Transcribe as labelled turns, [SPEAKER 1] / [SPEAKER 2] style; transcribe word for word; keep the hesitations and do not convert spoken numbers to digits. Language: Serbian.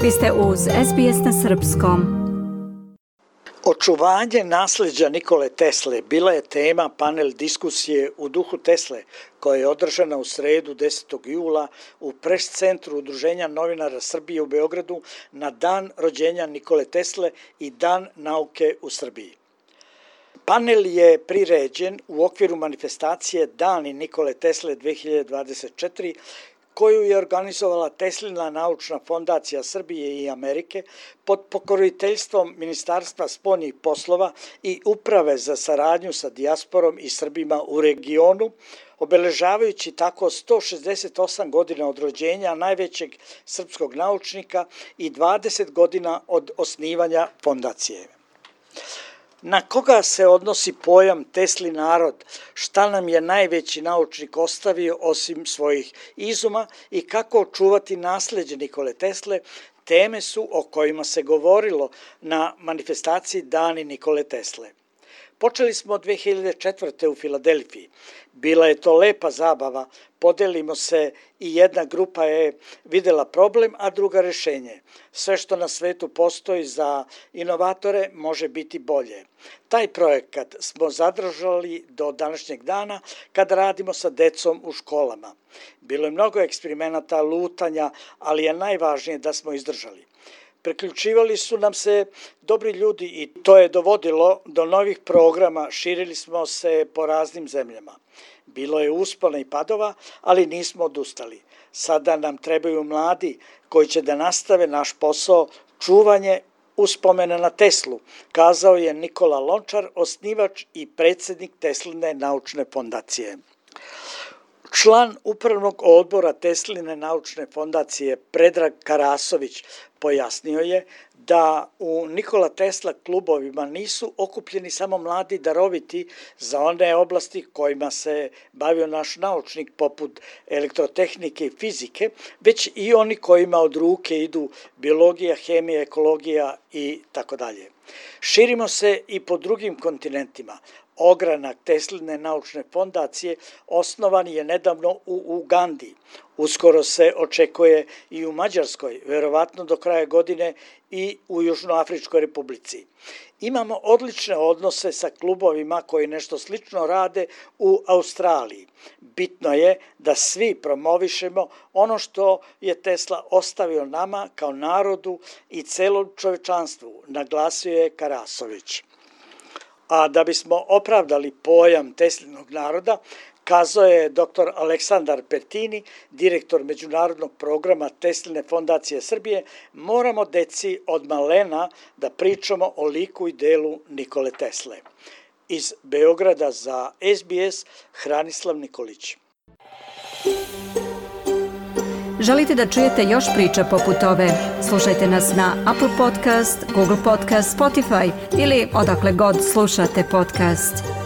[SPEAKER 1] Vi ste uz S B S na srpskom.
[SPEAKER 2] Očuvanje nasleđa Nikole Tesle bila je tema panel diskusije u duhu Tesle, koja je održana u sredu desetog jula u pres centru Udruženja novinara Srbije u Beogradu na dan rođenja Nikole Tesle i Dan nauke u Srbiji. Panel je priređen u okviru manifestacije Dani Nikole Tesle dve hiljade dvadeset četiri, koju je organizovala Teslina naučna fondacija Srbije i Amerike pod pokroviteljstvom Ministarstva spoljnih poslova i Uprave za saradnju sa dijasporom i Srbima u regionu, obeležavajući tako sto šezdeset osam godina od rođenja najvećeg srpskog naučnika i dvadeset godina od osnivanja fondacije. Na koga se odnosi pojam Tesli narod, šta nam je najveći naučnik ostavio osim svojih izuma i kako očuvati nasleđe Nikole Tesle, teme su o kojima se govorilo na manifestaciji Dani Nikole Tesle. Počeli smo dve hiljade četvrte. u Filadelfiji. Bila je to lepa zabava, podelimo se i jedna grupa je videla problem, a druga rešenje. Sve što na svetu postoji za inovatore može biti bolje. Taj projekat smo zadržali do današnjeg dana kad radimo sa decom u školama. Bilo je mnogo eksperimenata, lutanja, ali je najvažnije da smo izdržali. Priključivali su nam se dobri ljudi i to je dovodilo do novih programa, širili smo se po raznim zemljama. Bilo je uspona i padova, ali nismo odustali. Sada nam trebaju mladi koji će da nastave naš posao, čuvanje uspomena na Teslu, kazao je Nikola Lončar, osnivač i predsjednik Tesline naučne fondacije. Član upravnog odbora Tesline naučne fondacije Predrag Karasović pojasnio je da u Nikola Tesla klubovima nisu okupljeni samo mladi daroviti za one oblasti kojima se bavio naš naučnik poput elektrotehnike i fizike, već i oni kojima od ruke idu biologija, hemija, ekologija i tako dalje. Širimo se i po drugim kontinentima. Ogranak Tesline naučne fondacije osnovan je nedavno u Ugandi. Uskoro se očekuje i u Mađarskoj, verovatno do kraja godine i u Južnoafričkoj republici. Imamo odlične odnose sa klubovima koji nešto slično rade u Australiji. Bitno je da svi promovišemo ono što je Tesla ostavio nama kao narodu i celom čovečanstvu, naglasio je Karasović. A da bismo opravdali pojam Teslinog naroda, kazao je doktor Aleksandar Pertini, direktor međunarodnog programa Tesline fondacije Srbije, moramo deci od malena da pričamo o liku i delu Nikole Tesle. Iz Beograda za S B S, Hranislav Nikolić.
[SPEAKER 1] Želite da čujete još priča poput ove? Slušajte nas na Apple Podcast, Google Podcast, Spotify ili odakle god slušate podcast.